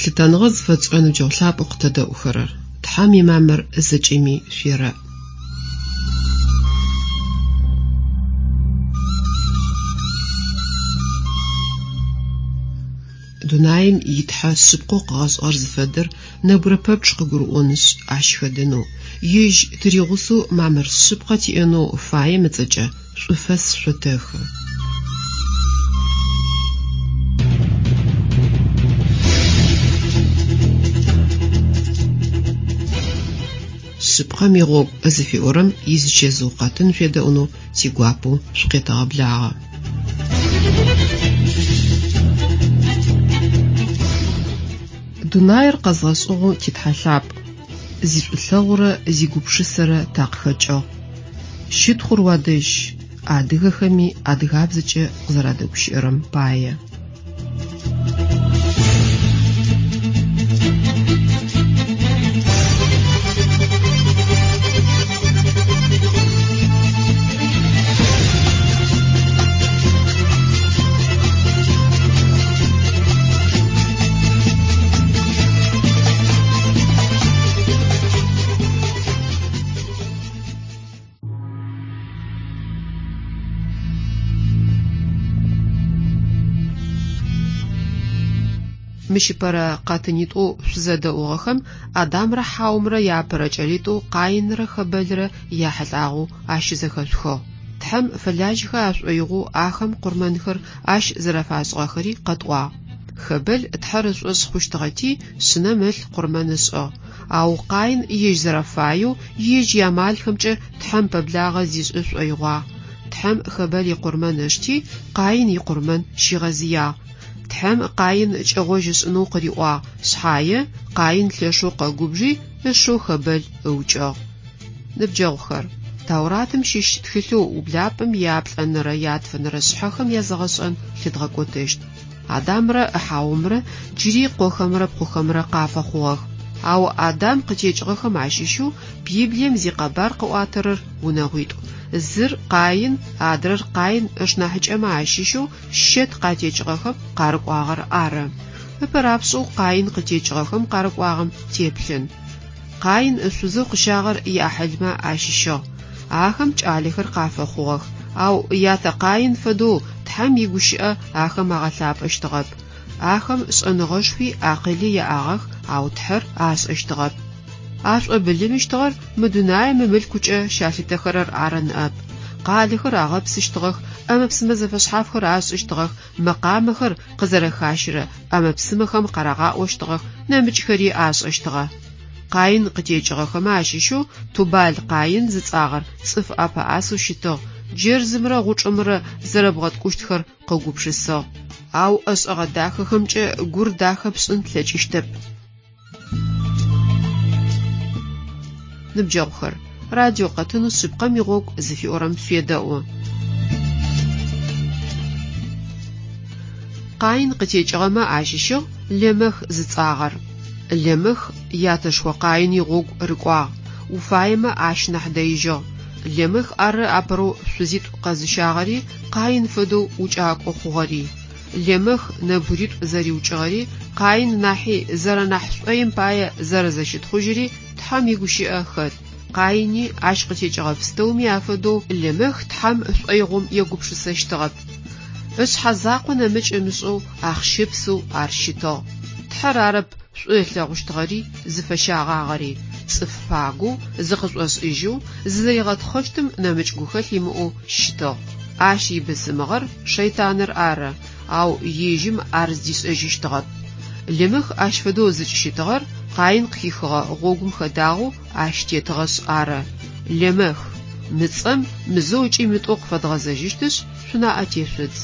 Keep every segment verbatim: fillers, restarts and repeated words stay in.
Лъытэныгъэ зыфэтшӏырэ ныбджэгъу лъапӏэу къытэдэӏухэрэр, Тхьэм имамыр зэкӏэми шъуерэӏ. Дунаим итхьэ шъыпкъэу къыгъэшӏыгъэр зыфэдэр нэбгырэ пэпчъ къыгурыӏонышъ ащ хэдэнэу, ежь тыригъусэу мамыр шъыпкъэ тиӏэнэу фаем ыцӏэкӏэ шӏуфэс шъотэхы. Шъыпкъэм игъогу зыфиӏорэм изычэзыу къэтын шъуедэӏунэу тигуапэу шъукъетэгъэблагъэ. Дунаир къэзгъэшӏыгъэу титхьэ лъапӏ, зишӏулъэгъурэ зигупшысэрэ такъыхэкӏыгъ. Щытхъур уадэжь, адыгэхэми адыгабзэкӏэ къызэрадэгущыӏэрэм пае. Мыщ ыпэрэ къэтынитӏоу шъузэдэӏугъэхэм Адамрэ Хьаомрэ яапэрэ кӏэлитӏоу Къаинрэ Хэбэлрэ яхьылӏагъэу ащызэхэшъухыгъ. Тхьэм фэлажьэхэ ашӏоигъоу ахэм къурмэнхэр ащ зэрэфашӏыгъэхэри къэтӏуагъ. Хэбэл Тхьэр ышӏошъ хъущтыгъэти шъынэм ылъ къурмэн ышӏыгъ. Ау Къаин ежь зэрэфаеу, ежь иамалхэмкӏэ Тхьэм пэблагъэ зишӏы шӏоигъуагъ. Тхьэм Хэбэл икъурмэн ышти, Къаин икъурмэн щигъэзыягъ. Тхьэм Къаин кӏэгъожь ышӏынэу къыриӏуагъ, шъхьае Къаин лъэшэу къэгубжи, ышэу Хэбэл ыукӏыгъ. Ныбджэгъухэр, Тауратым щыщ тхылъэу ублапӏэм яплӏэнэрэ ятфэнэрэ шъхьэхэм язэгъэшӏэн лъыдгъэкӏотэщт. Адамрэ Хьаомрэ джыри къохэмрэ пхъухэмрэ къафэхъугъэх. Ау Адам къытекӏыгъэхэм ащыщэу Библием зикъэбар къыӏуатэрэр унэгъуитӏу. Зыр Къаин, адрэр Къаин ышнахьыкӏэмэ ащыщэу Щэт къатекӏыгъэхэм къарыкӏуагъэр ары. Ыпэрапшӏэу Къаин къытекӏыгъэхэм къарыкӏуагъэм теплъын. Къаин ышъузэу къыщагъэр иӏахьылмэ ащыщыгъ. Ахэм кӏалэхэр къафэхъугъэх. Ау ятэ Къаин фэдэу Тхьэм игущыӏэ ахэм агъэлъапӏэщтыгъэп. Ахэм шӏэныгъэшхуи акъыли яӏагъэх, ау Тхьэр ашӏэщтыгъэп. Ашӏобылымыщтыгъэр мы дунаим мылъкукӏэ щалъытэхэрэр ары ныӏэп. Къалэхэр агъэпсыщтыгъэх, ӏэмэ-псымэ зэфэшъхьафхэр ашӏыщтыгъэх, мэкъамэхэр къызэрэхащырэ ӏэмэ-псымэхэм къарагъаӏощтыгъэх, нэмыкӏхэри ашӏэщтыгъэ. Къаин къытекӏыгъэхэмэ ащыщэу Тубал Къаин зыцӏагъэр цӏыф ӏэпэӏасэу щытыгъ, джэрзымрэ гъучӏымрэ зэрэбгъэткӏущтхэр къыгупшысыгъ. Ау ӏэшӏэгъэ дахэхэмкӏэ гур дахэ пшӏын плъэкӏыщтэп. Ныбджэгъухэр, радио къэтынэу шъыпкъэм игъогу зыфиӏорэм шъуедэӏу. Къаин къытекӏыгъэмэ ащыщыгъ Лемэх зыцӏагъэр. Лемэх ятэшхо Къаин игъогу рыкӏуагъ, уфаемэ ащ нахь дэижьыгъ. Лемэх ары апэрэу шъузитӏу къэзыщагъэри, Къаин фэдэу укӏакӏо хъугъэри. Лемэх нэбгыритӏу зэриукӏыгъэри, Къаин нахьи зэрэнахь шӏоим пае зэрэзэщытхъужьыри Тхьэм игущыӏэ хэт. Къаини ащ къытекӏыгъэ пстэуми афэдэу Лемэх Тхьэм шӏоигъом егупшысэщтыгъэп. Ышъхьэ закъо нэмыкӏ ымышӏэу ахъщэпсэу ар щытыгъ. Тхьэр арэп шӏу ылъэгъущтыгъэри, зыфэщагъагъэри, цӏыф пагоу, зыкъышӏошӏыжьэу, зызэригъэтхъэщтым нэмыкӏ гухэлъ имыӏэу щытыгъ. Ащ ибысымыгъэр шэйтаныр ары, ау ежьым ар зыдишӏэжьыщтыгъэп. Лемэх ащ фэдэу зыкӏыщытыгъэр Къаин къыхихыгъэ гъогум хэдагъэу ащ тетыгъэшъ ары. Лемэх, мы цӏэм мызэу ыкӏи мытӏоу къыфэдгъэзэжьыщтышъ, шъунаӏэ тешъудз.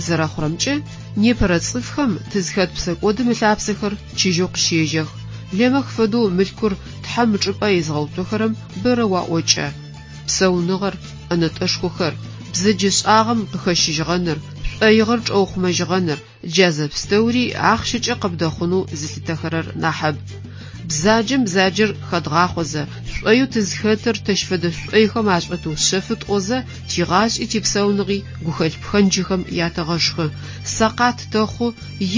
Зэрэхъурэмкӏэ, непэрэ цӏыфхэм тызхэт псэкӏодым ылъапсэхэр чыжьэу къыщежьэх. Лемэх фэдэу мылъкур Тхьэм ычӏыпӏэ изгъэуцохэрэм бэрэ уаӏокӏэ. Псэуныгъэр, ӏэнэтӏэшхохэр, бзэджэшӏагъэм къыхэщыжьыгъэныр, шӏоигъэр чӏэухъумэжьыгъэныр, джа зэпстэури ахъщэкӏэ къыбдэхъунэу зылъытэхэрэр нахьыб. Бзаджэм бзаджэр хэдгъахъозэ, шӏоеу тызхэтыр тэщ фэдэ шӏойхэм ашӏотыушъэфы тӏозэ, тигъашӏи типсауныгъи гухэлъ пхэнджхэм ятэгъэшхы, сэкъат тэхъу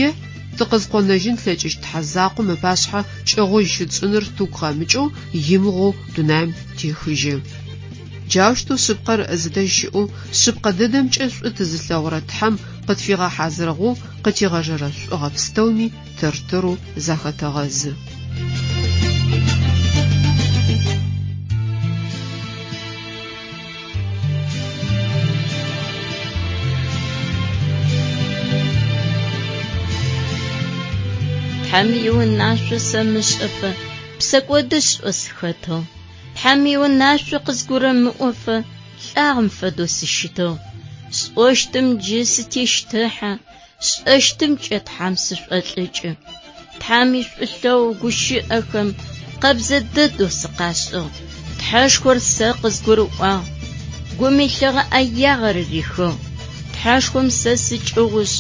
е тыкъызкъонэжьын тлъэкӏыщт Тхьэ закъом ыпашъхьэ кӏэгъожь щытшӏыныр тыгу къэмыкӏэу, имыгъоу дунаим техыжьы. Джаущтэу шъыпкъэр зыдэжь щыӏэу, шъыпкъэ дэдэмкӏэ шӏу тызылъэгъурэ Тхьэм къытфигъэхьазырыгъэу къытигъэжэрэ шӏугъэ пстэуми тэр-тэрэу захэтэгъэзы. Тхьэм иунашъо сэмышӏэфэ псэкӏодышӏэу сыхэтыгъ. Тхьэм иунашъо къызгурымыӏофэ лӏагъэм фэдэу сыщытыгъ. Сӏощтым джы сытещтыхьэ, сшӏэщтымкӏэ Тхьэм сышӏолӏыкӏы. Тхьэм ишӏулъэгъу гущыӏэхэм къэбзэ дэдэу сыкъашӏыгъ. Тхьэшхор сэ къызгурыӏуагъ, гум илъыгъэ ӏэягъэр рихыгъ. Тхьэшхом сэ сыкӏыгъушъ,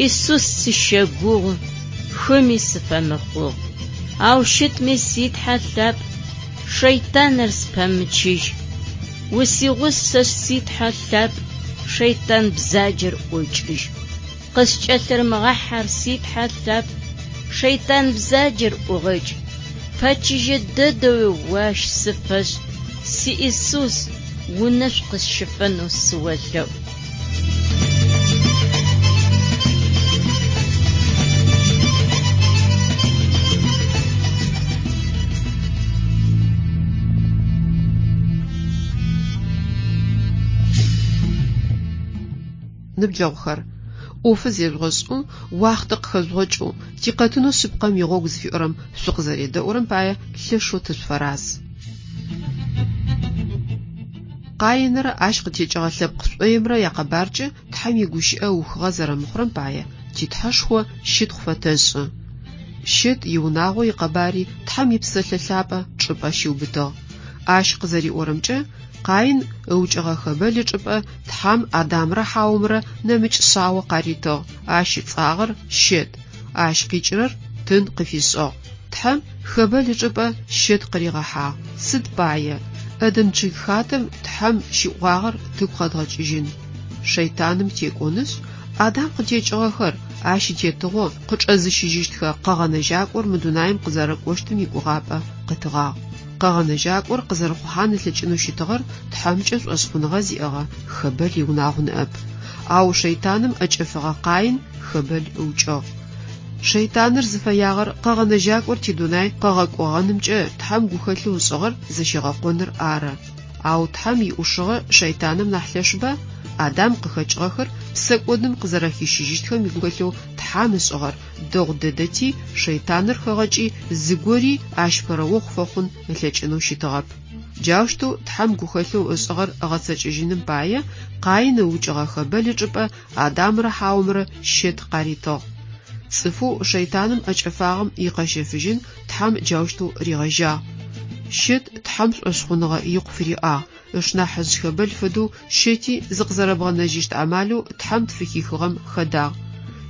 Исус сыщэгугъу, хыми сыфэмыхъугъ. Ау щытми си Тхьэ лъапӏ, шэйтаныр спэмычыжь. Усигъусэшъ си Тхьэ лъапӏ, шэйтан бзаджэр ӏокӏыжь. Къыскӏэлъырымыгъахьэр си Тхьэ лъапӏ, шэйтан бзаджэр ӏугъэкӏ. Пэчыжьэ дэдэуи ащ сыфэшӏ, си Исус, унэшъу къысщыфэнэу сыолъэӏу. Ныбджэгъухэр, ӏофы зежъугъэшӏэу, уахътэ къыхэжъугъэкӏэу, тикъэтынэу шъыпкъэм игъогу зыфиӏорэм шъукъызэредэӏурэм пае лъэшэу тышъуфэраз. Къаинрэ ащ къытекӏыгъэ лъэпкъ шӏоимрэ якъэбаркӏэ Тхьэм игущыӏэ ухыгъэ зэрэмыхъурэм пае титхьэшхо щытхъу фэтэшӏы. Щэт иунагъо икъэбари Тхьэм ипсэлъэ лъапӏэ чӏыпӏэ щиубытыгъ. Ащ къызэриӏорэмкӏэ, Къаин ыукӏыгъэ Хэбэл ычӏыпӏэ Тхьэм Адамрэ Хьаомрэ нэмыкӏ шъао къаритыгъ, ащ ыцӏагъэр Щэт, ащ къикӏырэр тын къыфишӏыгъ. Тхьэм Хэбэл ычӏыпӏэ Щэт къыригъэхьагъ. Сыд пае? Ӏэдэн чъыг хатэм Тхьэм щиӏуагъэр тыгу къэдгъэкӏыжьын. Шэйтаным текӏонышъ, Адам къытекӏыгъэхэр ащ итетыгъо къычӏэзыщыжьыщтхэ къэгъэнэжьакӏор мы дунаим къызэрэкӏощтым игугъапӏэ къытыгъагъ. Къэгъэнэжьакӏор къызэрыхъухьан ылъэкӏынэу щытыгъэр Тхьэмкӏэ шӏошъхъуныгъэ зиӏэгъэ Хэбэл иунагъу ныӏэп. Ау шэйтаным ӏэкӏэфыгъэ Къаин Хэбэл ыукӏыгъ. Шэйтаныр зыфэягъэр къэгъэнэжьакӏор тидунай къэгъэкӏогъэнымкӏэ Тхьэм гухэлъэу ышӏыгъэр зэщигъэкъоныр ары. Ау Тхьэм иӏушыгъэ шэйтаным нахь лъэшба? Адам къыхэкӏыгъэхэр псэкӏодым къызэрэхищыжьыщтхэм игухэлъэу Тхьэм ышӏыгъэр дэгъу дэдэти, шэйтаныр хэгъэкӏи зыгори ащ пэрэохъу фэхъун ылъэкӏынэу щытыгъэп. Джаущтэу Тхьэм гухэлъэу ышӏыгъэр ыгъэцэкӏэжьыным пае Къаин ыукӏыгъэ Хэбэл ычӏыпӏэ Адамрэ Хьаомрэ Щэт къаритыгъ. Цӏыфэу шэйтаным ӏэкӏэфагъэм икъэщэфыжьын Тхьэм джаущтэу ригъэжьагъ. Щэт Тхьэм шӏошъхъуныгъэ икъу фыриӏагъ. Ышнахьыжъ Хэбэл фэдэу Щэти зыкъызэрэбгъэнэжьыщт амалэу Тхьэм тфыхихыгъэм хэдагъ.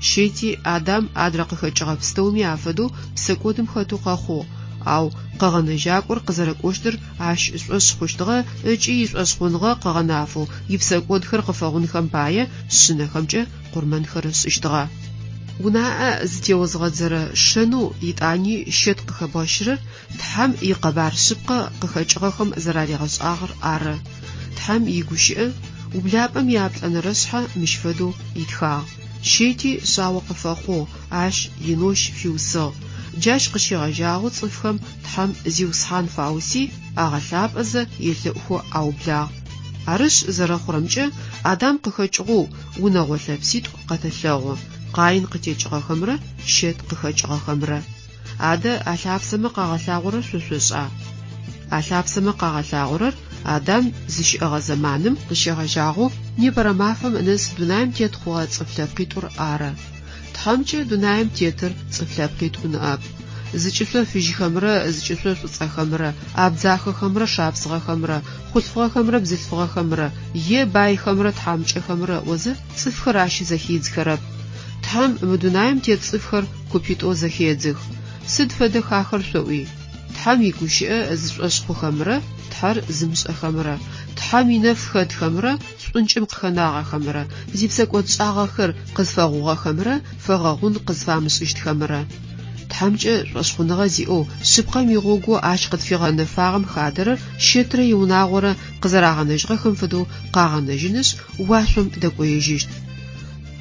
Щэти Адам адрэ къыхэкӏыгъэ пстэуми афэдэу псэкӏодым хэтэу къэхъугъ, ау къэгъэнэжьакӏор къызэрэкӏощтыр ащ ышӏошъ хъущтыгъэ ыкӏи ишӏошъхъуныгъэ къыгъэнафэу ипсэкӏодхэр къыфэгъунхэм пае шъынэхэмкӏэ къурмэнхэр ышӏыщтыгъэ. Унаӏэ зытеозгъэдзэрэ шэнэу итӏани Щэт къыхэбгъэщырэр Тхьэм икъэбар шъыпкъэ къыхэкӏыгъэхэм зэраригъэшӏагъэр ары. Тхьэм игущыӏэ ублапӏэм иаплӏэнэрэ шъхьэ мыщ фэдэу итхагъ. Щэти шъао къыфэхъугъ, ащ Енощ фиусыгъ. Джащ къыщегъэжьагъэу цӏыфхэм Тхьэм Зиусхьан фауси, агъэлъапӏэзэ елъэӏухэу аублагъ. Арышъ зэрэхъурэмкӏэ, Адам къыхэкӏыгъэу унэгъо лъэпситӏу къэтэлъэгъу: Къаин къытекӏыгъэхэмрэ Щэт къыхэкӏыгъэхэмрэ. Адэ а лъапсэмэ къагъэлъагъорэр шъо шъошӏа? А лъапсэмэ къагъэлъагъорэр Адам зыщыӏэгъэ зэманым къыщегъэжьагъэу непэрэ мафэм нэс дунаим тет хъугъэ цӏыф лъэпкъитӏур ары. Тхьэмкӏэ дунаим тетыр цӏыф лъэпкъитӏу ныӏэп. Зыкӏышъо фыжьхэмрэ зыкӏышъо шӏуцӏэхэмрэ, абдзахэхэмрэ шапсыгъэхэмрэ, хъулъфыгъэхэмрэ бзылъфыгъэхэмрэ е байхэмрэ тхьамыкӏэхэмрэ ыӏозэ цӏыфхэр ащ зэхидзхэрэп. Тхьэм мы дунаим тет цӏыфхэр купитӏоу зэхедзых. Сыд фэдэх ахэр шъоӏуи? Тхьэм игущыӏэ зышӏошъ хъухэмрэ Тхьэр зымышӏэхэмрэ, Тхьэм инэф хэтхэмрэ шӏункӏым къыхэнагъэхэмрэ, зипсэкӏодшӏагъэхэр къызфэгъугъэхэмрэ фэгъэгъун къызфамышӏыщтхэмрэ. Тхьэмкӏэ шӏошъхъуныгъэ зиӏэу шъыпкъэм игъогоу ащ къытфигъэнэфагъэм хадэрэр Щэтрэ иунагъорэ къызэрагъэнэжьыгъэхэм фэдэу къагъэнэжьынышъ, уашъом дэкӏоежьыщт.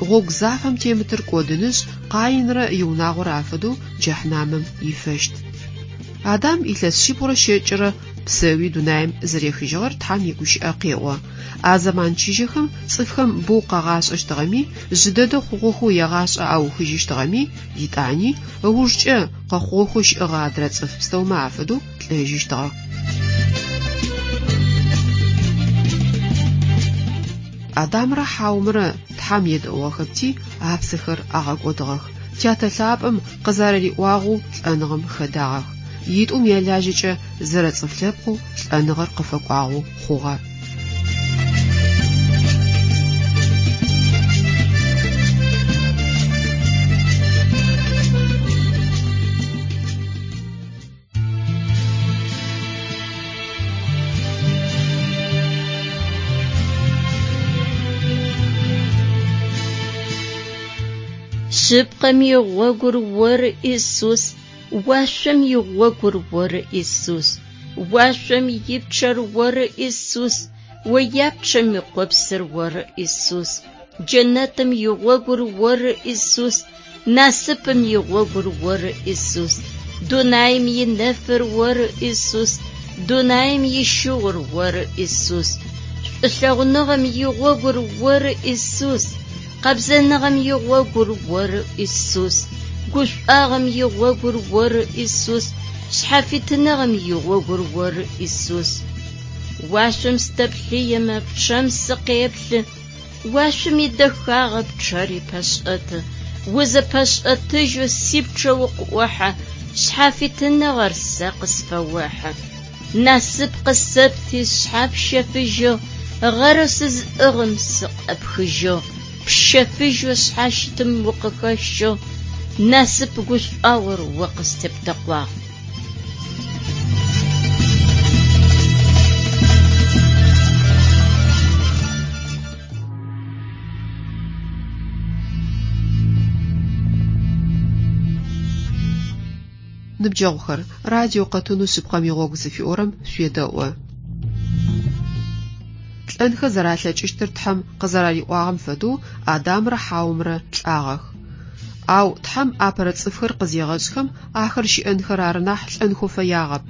Гъогу зафэм темытыр кӏодынышъ, Къаинрэ иунагъорэ афэдэу джэхьнамым ифэщт. Адам илъэс шъибгъурэ щэкӏырэ псэуи дунаим зэрехыжьыгъэр Тхьэм игущыӏэ къеӏо. А зэман чыжьэхэм цӏыфхэм боу къагъашӏэщтыгъэми, жъы дэдэ хъугъэхэу ягъашӏэ аухыжьыщтыгъэми, итӏани ыужкӏэ къэхъугъэхэу щыӏэгъэ адрэ цӏыф пстэумэ афэдэу лӏэжьыщтыгъэх. Адамрэ Хьаумрэ Тхьэм едэӏугъэхэпти, апсэхэр агъэкӏодыгъэх. Тятэ лъапӏэм къызэрэриӏуагъэу лӏэныгъэм хэдагъэх. Итӏум ялажьэкӏэ зэрэцӏыф лъэпкъэу лӏэныгъэр къыфэкӏуагъэу хъугъэ. Шъыпкъэм игъогур оры Исус, уашъом игъогур оры Исус, уашъом ипчъэр оры Исус, ояпчъэм икъопсыр оры Исус, джэнэтым игъогур оры Исус, насыпым игъогур оры Исус, дунаим инэфыр оры Исус, дунаим ищыгъур оры Исус, шӏулъэгъуныгъэм игъогур оры Исус, къэбзэныгъэм игъогур оры Исус, гушӏуагъэм игъогур оры Исус, шъхьафитыныгъэм игъогур оры Исус. Уашъом сытэплъыемэ пчъэм сыкъеплъы, уашъом идэхагъэ пчъэри пэшӏэты, узэпэшӏэтыжьэу сипчъэ укъыӏохьэ, шъхьафитыныгъэр сэ къысфэохьы. Насып къысэпти сшъхьэ пщэфыжьыгъ, гъэрэу сызыӏыгъым сыкъэпхыжьыгъ, пщэфыжьэу шъхьащытым укъыхэщыгъ, насып гушӏуагъор о къыстептэкъуагъ. Ныбджэгъухэр, радио къэтынэу шъыпкъэм игъогу зыфиӏорэм шъуедэӏу. Лӏэнхэ зэралъэкӏыщтыр Тхьэм къызэрариӏуагъэм фэдэу Адамрэ Хьаумрэ лӏагъэх. Ау Тхьэм апэрэ цӏыфхэр къызегъэшӏхэм ахэр щыӏэнхэр ары нахь лӏэнхэу фэягъэп.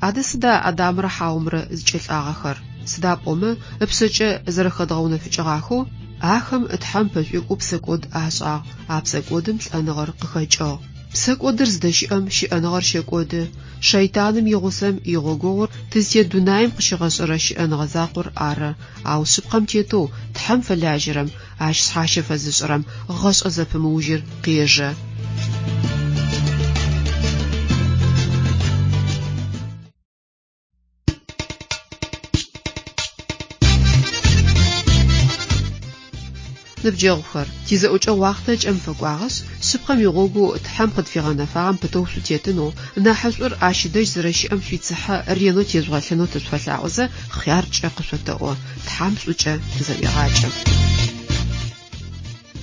Адэ сыда Адамрэ Хьаумрэ зыкӏэлӏагъэхэр? Сыда пӏомэ ыпшъэкӏэ зэрэхэдгъэунэфыкӏыгъахэу ахэм Тхьэм пэшӏуекӏоу псэкӏод ашӏагъ, а псэкӏодым лӏэныгъэр къыхэкӏыгъ. Псэкӏодыр зыдэщыӏэм щыӏэныгъэр щэкӏоды. Шэйтаным игъусэм игъогогъур тызтет дунаим къыщигъэшӏэрэ щыӏэныгъэ закъор ары. Ау шъыпкъэм тетэу Тхьэм фэлажьэрэм, ащ шъхьащэ фэзышӏырэм гъэшӏэ зэпымыужьыр къежэ. Ныбджэгъухэр, тизэӏукӏэ уахътэ кӏэм фэкӏуагъэшъ, шъыпкъэм игъогоу Тхьэм къытфигъэнэфагъэм пытэу шъутетынэу, нахьышӏур ащ дэжь зэрэщыӏэм шъуицыхьэ ренэу тежъугъэлъынэу тышъуфэлъаӏозэ, хъяркӏэ къышъотэӏо. Тхьэм шӏукӏэ тызэӏуегъакӏэ.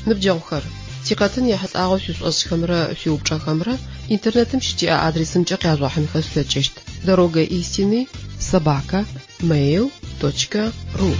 Ныбджэгъухэр, тикъэтын ехьылӏагъэу шъуишӏошӏхэмрэ шъуиупчӏэхэмрэ интернетым щытиӏэ адресымкӏэ къяжъугъэхьынхэ шъулъэкӏыщт: дорога истины собака mail точка ру.